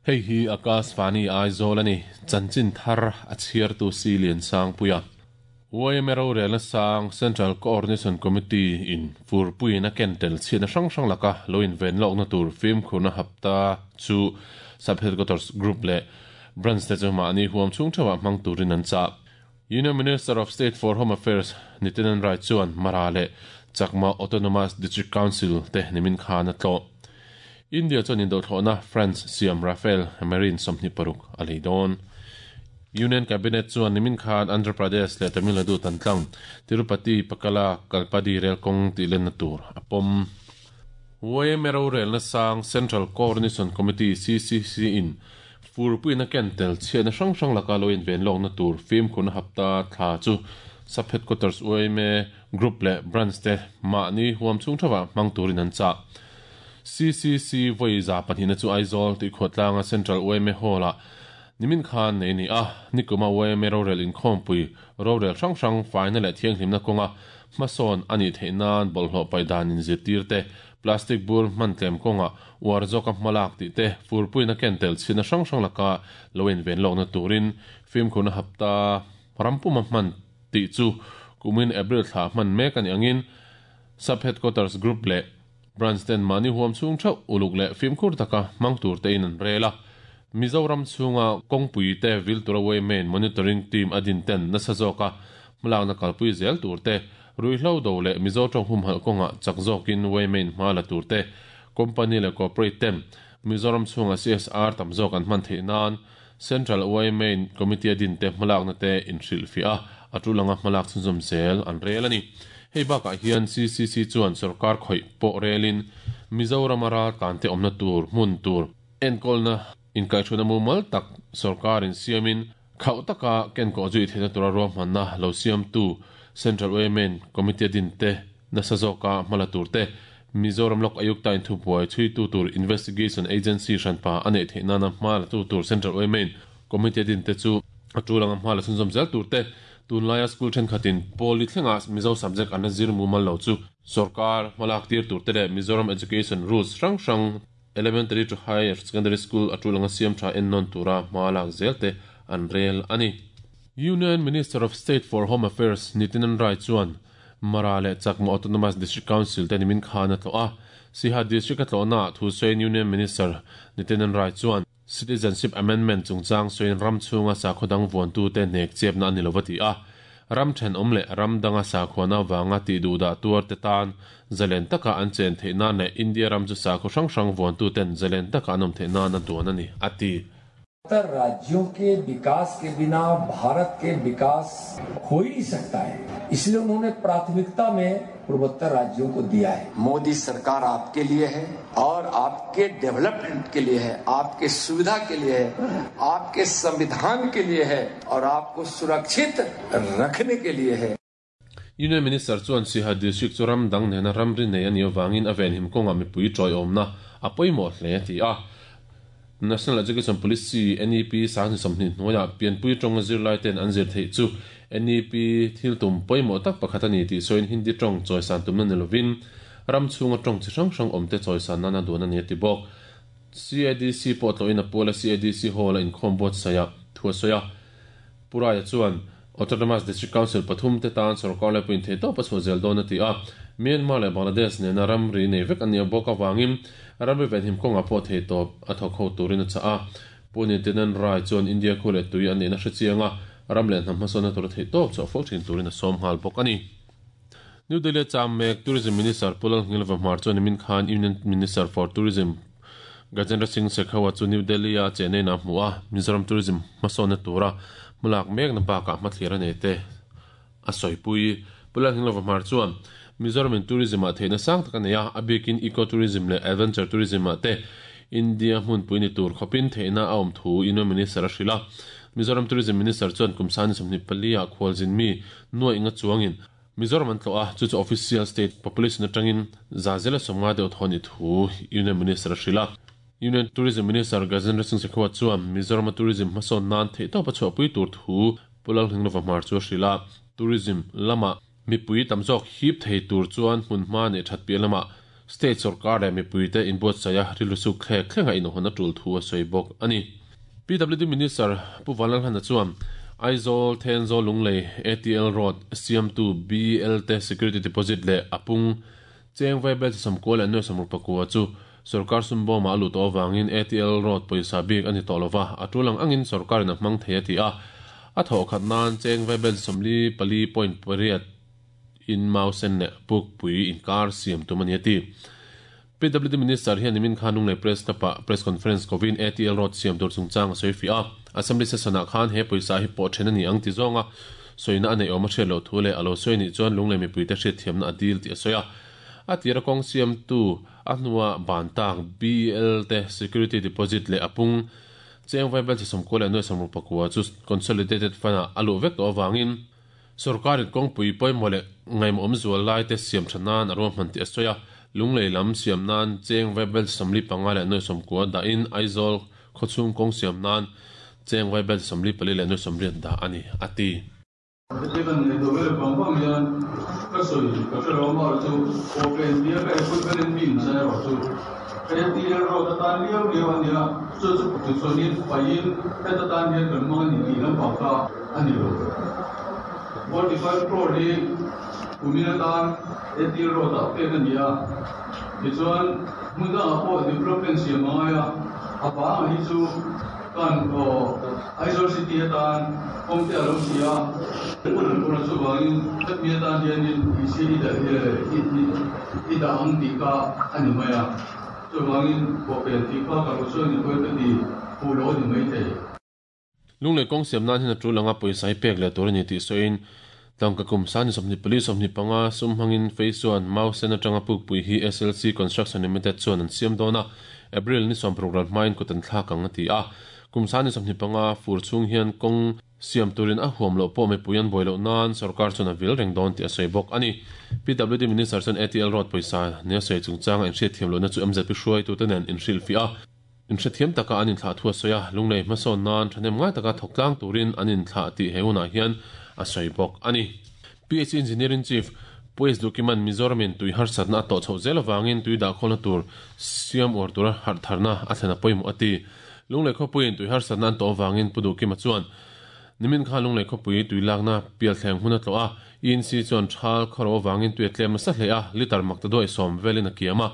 Hei hi Akashvani Aizawl a ni, chanchin thar a chhiartu Si Liansangpuia. Yma rorelna sang Central Coordination Committee in furpuiin a ken tel chhiatna hrang hrang laka lo inven lawkna tur fimkhurna hapta chu Sub-Headquarters Group leh Branch te chu mahni huam chhung theuhah hmang turin an chah. Union Minister of State for Home Affairs Nityanand Rai chuan Mara leh Chakma Autonomous District Council te nimin khan a tlawh. India chuan indothlawhna France siam Rafale Marine 26 a lei dawn. Union Cabinet chuan nimin khan Andhra Pradesh leh Tamil Nadu tan tlang Tirupati Pakala Kalpadi rel kawng tih lenna tur a pawm. Yma rorelna sang Central Coordination Committee, CCC, in Furpuiin a ken tel chhiatna hrang hrang laka lo inven lawkna tur fimkhurna hapta thla chu Sub Headquarters yma Group leh Branch te mahni huam chhung theuhah hmang turin an chah. CCC vawi 200na chu Aizawl tih khuatlanga Central yma Hall-ah nimin khan nei a ni a, nikuma yma rorel inkhawmpui rorel hrang hrang faina leh thianghlimna kawnga hmasawn a nih theih nan bawlhhlawh paih dan inzirtir te Plastic bur hman tlem kawngah uar zawka hmalak tih te, furpuina ken tel chhina hrang hrang laka lo inven lawkna turin fimkhurna hapta ram puma hman tih chu kumin April thla hman mek a nih angin Sub-Headquarters Group leh Branch ten mahni huam chhung theuh uluk leh fimkhur taka hmang tur tein an rel a. Mizoram chhunga kawngpui te vil tura yma Monitoring Team a din ten nasa zawka hmalakna kalpui zel tur te, Ruihhlo do leh Mizo tawng humhalh kawngah chak zawkin yma hma la tur te, company leh corporate ten Mizoram chhunga CSR tam zawk an hman theih nan Central yma Committee a din te hmalakna te inhrilhfiah a, a tul anga hmalak chhunzawm zel an rel a ni. Hei bakah hian CCC chuan sorkar khawih pawh relin Mizorama raltlan te awmna tur hmun tur enkawlna inkaihhruaina mumal tak sorkarin siamin Khauh taka kenkawh zui theihna tura ruahmanna lo siamtu Central yma Committee a din te, nasa zawka hmala tur te, Mizoram Lok Ayukta in thubuai chhuitu tur Investigation Agency hranpa a neih theih nana hma la tu tur Central yma Committee a din te chu a tul anga hma la chhunzawm zel tur te, tunlaia school thenkhatin pawli thlenga Mizo subject an la zir mumal lo chu sorkar hmalak tir tur te leh Mizoram Education Rules hrang hrang Elementary to Higher Secondary School a tul anga siam tha ennawn tura hma lak zel te an rel a ni. Union Minister of State for Home Affairs Nityanand Rai chuan Mara leh Chakma Autonomous District Council te nimin khan a tlawh a. Siha District a tlawhnaah thu sawiin Union Minister Nityanand Rai chuan Citizenship Amendment chungchang sawiin ram chhunga sakhaw dang vuantute hnek chepna a ni lo va ti a. Ram thenawm leh ram danga sakhuana avanga tih duhdah tuarte tan zalen taka an chen theih nan leh India ram chu sakhaw hrang hrang vuantuten zalen taka an awm theih nan a duan a ni, a ti. Uttar राज्यों के विकास के बिना भारत के विकास हो ही नहीं सकता है इसलिए उन्होंने प्राथमिकता में पूर्वोत्तर राज्यों को दिया है मोदी सरकार आपके लिए है और आपके डेवलपमेंट के लिए है आपके सुविधा के लिए है आपके संविधान के लिए है और आपको सुरक्षित रखने के लिए है Union Minister chuan Siha District chu ram dang nena ramri nei a nih avangin a venhim kawngah mipui tawiawmna a pawimawh hle a ti a. National Education Policy, NEP, 2020 hnuaiah pianpui tawnga zirlai ten an zir theih chu NEP thil tum pawimawh tak pakhat a ni tih sawiin Hindi tawng chawisan tumna ni lovin ram chhunga tawng chi hrang hrang awmte chawisan nan a duan a ni a ti bawk. CADC pawh tlawhin a puala CADC Hall a inkhawm buatsaih ah thu a sawi a. Pu Raia chuan Autonomous District Council pathum te tan sorkar leh puin theihtawp a chhuah zel dawn a ti a. Myanmar leh Bangladesh nena ramri nei vek an nih bawk avangin ramri venhim kawngah pawh theihtawp a thawk ho turin a chah a. Pu Nityanand Rai chuan India khu leh tui an nihna hre chiang a, ram leh hnam hmasawnna tura theihtawp chhuah fo thin turin a sawm nghal bawk a ni. New Delhi a cham mek Tourism Minister Pu Lalngilva Hmar chuan nimin khan Union Minister for Tourism Gajendra Singh Shekhawat chu New Delhi a Chennai a hmu a, Mizoram Tourism hmasawnna tura hmalak mekna bakah hmathlir a nei te a sawipui. Pu Lalngilva Hmar chuan Mizoram in Tourism ah theihna sang tak a nei a, a bikin Eco Tourism leh Adventure Tourism ah te India hmunpui ni tur khawpin theihna a awm thu Union Minister a hrilh a. Mizoram Tourism Minister chuan kum sani 24 ah khualzin mi nuaih nga chuangin Mizoram an tlawh a, chu chu official state population atangin za zela 50 deuh thaw a nih thu Union Minister a hrilh a. Union Tourism Minister Gajendra Singh Shekhawat chuan Mizorama tourism hmasawn nan theihtawp a chhuahpui tur thu Pu Lalnghinglova Hmar chu a hrilh a. Tourism lama mipui tam zawk hip thei tur chuan hmunhma neih that piah lamah. State sorkar leh mipuite inbuatsaih a rilru suk thlek thlenga inawhawn a tul thu a sawi bawk a ni. PWD Minister Pu Vanlalhlana chuan Aizawl, Thenzawl, Lunglei ATL Road siamtu BL te security deposit leh a pung cheng vaibel chi sawmkua leh nuai sawmruk pakua chu sorkar sum bawmah a luh tawh avangin ATL Road pawisa bik a ni tawh lova, a tul ang angin sorkarin a hmang thei a ti a. A thawh khat nan cheng vaibel chi 44.8 in mau sen leh pukpui inkar siam tum a ni a ti. PWD Minister hian nimin khan Lunglei Press Club-ah Press Conference kovin ATL Road siam tur chungchang a sawi fiah a. Assembly Session-ah khan he pawisa hi pawh then a ni ang ti zawnga sawina a neih awm a hriat loh thu leh a lo sawi nih chuan Lunglei mipuite hriatthiamna a dil tih a sawi a. A tira kawng siamtu a hnua ban tak BL te security deposit leh a pung cheng vaibelchhe 99.69 chu Consolidated Fund-ah a luh vek tawh avangin Sorkarin kawngpui pawimawh leh ngaihmawhawm zual lai te siam tha nan a ruahman tih a sawi a, Lunglei lam siam nan cheng vaibel 45 leh nuai 90 dahin Aizawl khawchhung kawng siam nan cheng vaibel 44 leh nuai 80 dah a ni, a ti. Heti kan ngaihtuah vel vang vang hian ka sawi ka hre lo amaherawh chu pawhpen tia ka equipment in mi inchai erawh chu ATL road atan liau liau a nia, chu chu tichuanin faiin heta tan hian kan hmang a ni tih lampang kha a ni lo. 45 crore hi kumin atan ATL road ah pek a ni a, tichuan hmun dangah pawh development siam a ngai a, a bangah hi chu kan Aizawl city atan kawng te a lo si a, hun an pawr a chuvangin hemi atan hianin EC i dah ang tih kha a ni mai a, chuvangin pawhpen tih kha ka lo sawi ni pawhin ka ti fuh lo a ni maithei. Lunglei kawng siam nan hian a tul anga pawisa hi pek leh tur a ni tih sawiin tangka kum sani 24 25 sum hmangin Fei chuan Mau Sen atanga pukpui hi SLC Construction Limited chuan an siam dawn a, April ni 60 ral hmain kut an thlak ang a ti a. Kum sani 25 fur chhung hian kawng siam turin a huam loh pawh mipui an buai loh nan sorkar chuan a vil reng dawn tih a sawi bawk a ni. PWD Minister chuan ATL Road pawisa nia sawi chungchanga inhriatthiam lohna chu MZP hruaitute nen inhrilhfiah a. Inhrethiam taka an inthlah thu a sawi a, Lunglei hmasawn nan thahnem ngai taka thawk tlang turin an inthlah tih he hunah hian a sawi bawk a ni. PHC Engineering Chief Pu S. Dukiman Mizoramin tui harsatna a tawh chhoh zel avangin tui dahkhawlna tur siam uar tura harhtharna a thlen a pawimawh a ti. Lunglei khawpuiin tui harsatna an tawh avangin Pu Duhkima chuan nimin khan Lunglei khawpui tui lakna pialthleng hmun a tlawh a, ENC chuan thal khawro avangin tui a tlem nasa hle a, litre makta duai sawm velin a kiam a.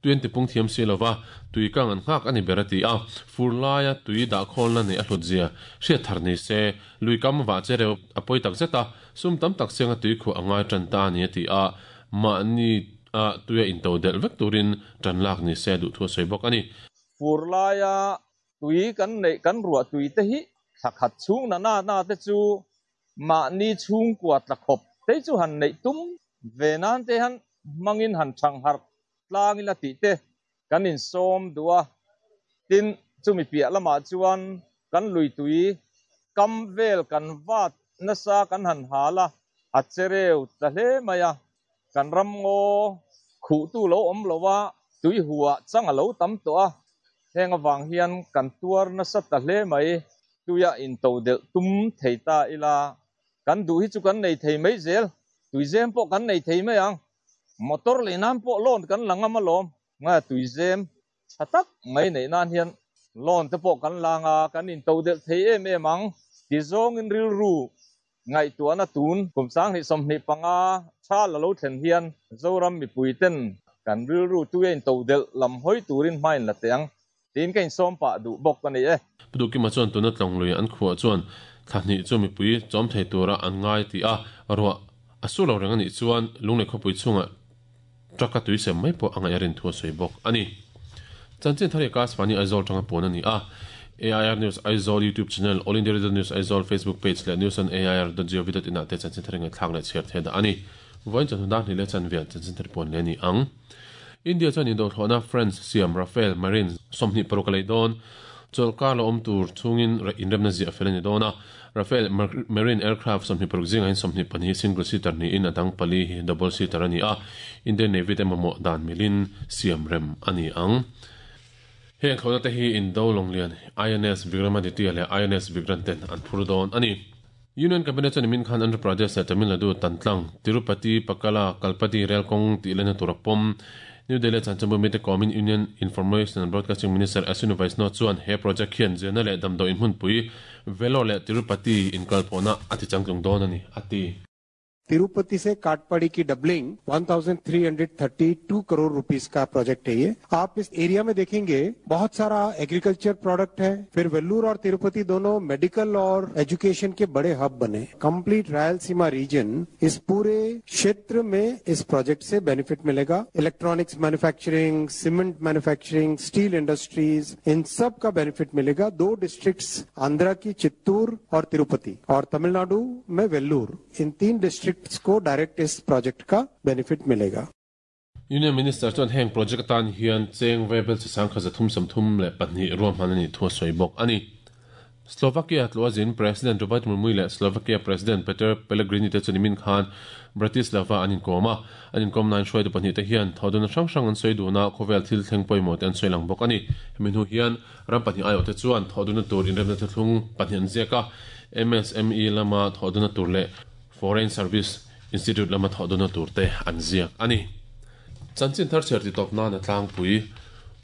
Tui an tipung thiam si lova, tui kang an nghak a ni ber a ti a. Fur laia tui dahkhawlna neih a hlut zia hriat thar ni se, lui kam vah che reuh a pawi tak zet a, sum tam tak sianga tui khuah a ngai tan ta a ni a ti a, mahni a tuia into delh vek turin tan lak ni se a duh thu a sawi bawk a ni. Fur laia tui kan neih kan ruah tui te hi thla khat chhung na na na te chu mahni chhungkua tla khawp te chu han neih tum ve nan te han hmangin han thang harh tlang ila tih te kan insawm duh a, tin chumi piah lamah chuan kan lui tui kam vel kan vat nasa kan han hal a, a che reu ta hle mai a, kan ram ngaw khuhtu lo awm lo a, tui huah chang a lo tam tawh a, heng avang hian kan tuar nasa ta hle mai, tuia intodelh tum thei ta ila, kan duh hi chu kan nei thei mai zel, tuizem pawh kan nei thei mai ang. Motor lei nan pawh loan kan la ngam alawm. Ngai tuizem tha tak mai neih nan hian loan te pawh kan la nga, kan into delh thei em em ang. Tizawngin rilru ngaihtuahna tun kum 2025 tha la lo thlen hian Zoram mipui ten kan rilru tuia into delh lam hawi turin hma in la teh ang tiin ka insawm pah duh bawk a ni e. Pu Duhkima chuan tuna tlawng lui an khuah chuan thla hnih chu mipui chawm thei tura an ngai tih a, ruah a su lo reng a nih chuan Lunglei khawpui chhungah truck a tui sem mai pawh a ngaih a rin thu a sawi bawk a ni. Chanchin thar hi Akashvani Aizawl tanga puan a ni a, AIR News Aizawl YouTube channel, All India Radio News Aizawl Facebook page leh news on air dot gov dot in ah te chanchin thar hi ngaihthlak leh chhiar thei dah a ni. Vawiin chawhnu dar hnih leh chanve chanchin thar puan leh a ni ang. India chuan indohthlawhna France siam Rafale Marine 26 a lei dawn. Chawlhkar la awm tur chhungin inremna ziah fel a ni dawn a. Rafale Marine aircraft 26 zingah hian 22 hi single seater niin a dang pali hi double seater a ni a. Indian Navy te mamawh dan milin siam rem a ni ang. Heng thlawhna te hi Indo lawnglian INS Vikramaditya leh INS Vikrant ten an phur dawn a ni. Union Cabinet chuan nimin khan Andhra Pradesh leh Tamil Nadu tan tlang Tirupati, Pakala, Kalpadi rel kawng tih lehna tur a pawm. New Delhi chanchinbu mite kawmin Union Information and Broadcasting Minister Ashwini Vaishnaw chuan he project hian zirna leh damdawiin hmunpui Vellore leh Tirupati inkalpawhna a ti changtlung dawn a ni, a ti. Tirupati से काटपाड़ी की doubling 1332 crore rupees का project है ये। आप इस area में देखेंगे बहुत सारा एग्रीकल्चर प्रोडक्ट है, फिर वेल्लूर और तिरुपति दोनों मेडिकल और एजुकेशन के बड़े हब बने। कंप्लीट रायलसीमा रीजन, इस पूरे क्षेत्र में इस प्रोजेक्ट से बेनिफिट मिलेगा। Electronics manufacturing, cement manufacturing, steel industries, इन सब का बेनिफिट मिलेगा। दो डिस्ट्रिक्ट्स आंध्रा की चित्तूर और तिरुपति और तमिलनाडु में वेल्लूर, इन तीन डिस्ट्रिक्ट को डायरेक्ट इस प्रोजेक्ट का बेनिफिट मिलेगा। Union Minister chuan heng project atan hian cheng vaibelchhe 332 ruahman a nih thu a sawi bawk a ni. Slovakia tluazin President Robert Murmui leh Slovakia President Peter Pellegrini te chu nimin khan Bratislava an inkawm a, an inkawmnain hruaitu pahnihte hian thawhdawna hrang hrang an sawi dun a, khawvel thil thleng pawimawh te an sawi lang bawk a ni. Hemi hnu hian ram pahnih aiawhte chuan thawhdawna tur inremna thuthlung pahnih an ziak a, MSME lama thawhdawna tur leh Foreign Service Institute lama thawhdawna tur te an ziak a ni. Chanchin thar chhiar ti tawp nan a tlangpui.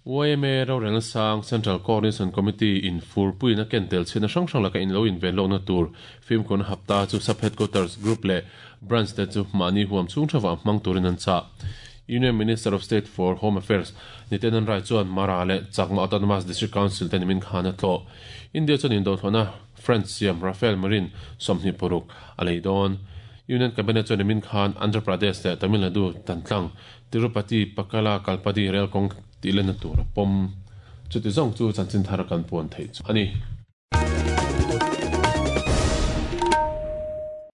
Yma rorelna sang Central Coordination Committee in furpuiin a ken tel chhiatna hrang hrang laka inlo inven lohna tur fimkhurna hapta chu Sub Headquarters Group leh Branch te chu mahni huam chhung theuhah hmang turin an chah. Union Minister of State for Home Affairs Nityanand Rai chuan Mara leh Chakma Autonomous District Council te nimin khan a tlawh. India chuan indawthlawhna French siam Rafale Marine 26 a lei dawn. Union Cabinet chuan nimin khan Andhra Pradesh leh Tamil Nadu tantlang Tirupati Pakala Kalpadi rel kawng tih lenna tur a pawm. Chuti zawng chu chanchin thar kan puan theih chu a ni.